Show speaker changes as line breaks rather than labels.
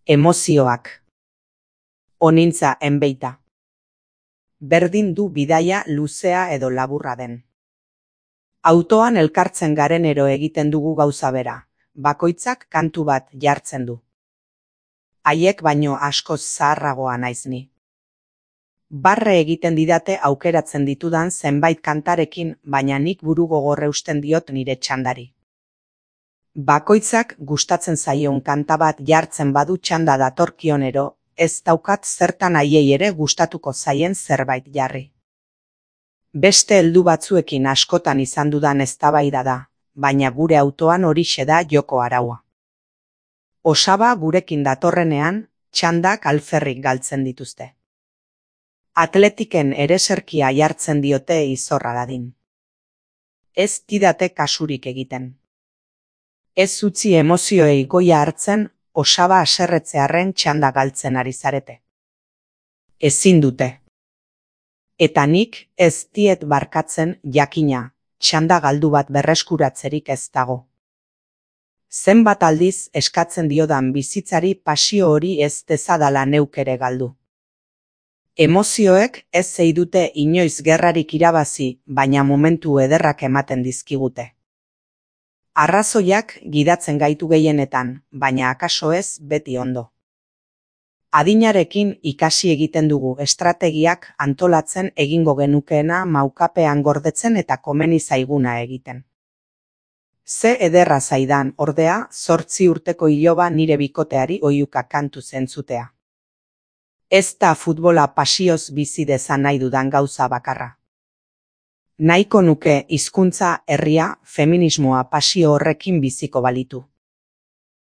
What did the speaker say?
Emozioak. Onintza enbeita. Berdin du bidaia luzea edo laburra den. Autoan elkartzen garenero egiten dugu gauza bera, bakoitzak kantu bat jartzen du. Haiek baino askoz zaharragoa naiz ni. Barre egiten didate aukeratzen ditudan zenbait kantarekin, baina nik buru gogorre usten diot nire txandari. Bakoitzak gustatzen zaion kanta bat jartzen badu txanda datorkionero, ez daukat zertan haiei ere gustatuko zaien zerbait jarri. Beste heldu batzuekin askotan izan dudan eztabaida da, baina gure autoan horixe da joko araua. Osaba gurekin datorrenean, txandak alferrik galtzen dituzte. Atletiken ereserkia jartzen diote izorra dadin. Ez didate kasurik egiten. Ez utzi emozioei goia hartzen, osaba haserretzearren txanda galtzen ari zarete. Ezin dute. Eta nik ez diet barkatzen jakina, txanda galdu bat berreskuratzerik ez dago. Zenbat aldiz eskatzen diodan bizitzari pasio hori ez dezadala neuk ere galdu. Emozioek ez zeidute inoiz gerrarik irabazi, baina momentu ederrak ematen dizkigute. Arrazoiak gidatzen gaitu gehienetan, baina akaso ez beti ondo. Adinarekin ikasi egiten dugu estrategiak antolatzen egingo genukeena maukapean gordetzen eta komeni zaiguna egiten. Ze ederra zaidan, ordea, 8 urteko iloba nire bikoteari oihuka kantu zentzutea. Ez da futbola pasioz bizi dezan nahi dudan gauza bakarra. Nahiko nuke hizkuntza, herria, feminismoa pasio horrekin biziko balitu.